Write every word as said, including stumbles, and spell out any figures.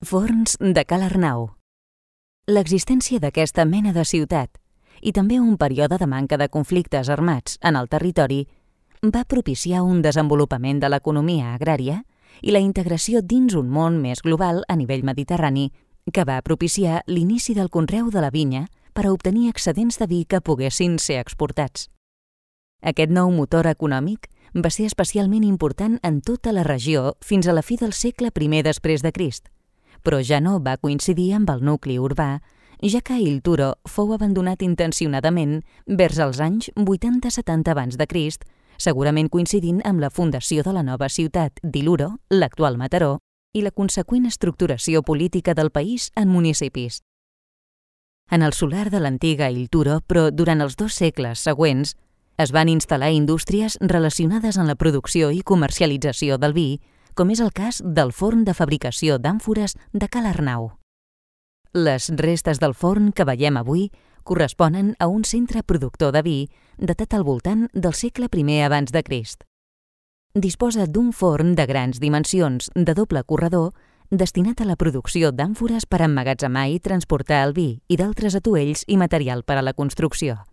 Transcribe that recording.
Forns de Ca l'Arnau. L'existència d'aquesta mena de ciutat i també un període de manca de conflictes armats en el territori va propiciar un desenvolupament de l'economia agrària i la integració dins un món més global a nivell mediterrani que va propiciar l'inici del conreu de la vinya per a obtenir excedents de vi que poguessin ser exportats. Aquest nou motor econòmic va ser especialment important en tota la regió fins a la fi del segle primer després de Crist, però ja no va coincidir amb el nucli urbà, ja que Il Turo fou abandonat intencionadament vers els anys vuitanta setanta abans de Crist, segurament coincidint amb la fundació de la nova ciutat d'Iluro, l'actual Mataró, i la conseqüent estructuració política del país en municipis. En el solar de l'antiga Il Turo, però durant els dos segles següents, es van instal·lar indústries relacionades amb la producció i comercialització del vi, com és el cas del forn de fabricació d'àmfores de Ca l'Arnau. Les restes del forn que veiem avui corresponen a un centre productor de vi datat al voltant del segle primer abans de Crist. Disposa d'un forn de grans dimensions de doble corredor destinat a la producció d'àmfores per emmagatzemar i transportar el vi i d'altres atuells i material per a la construcció.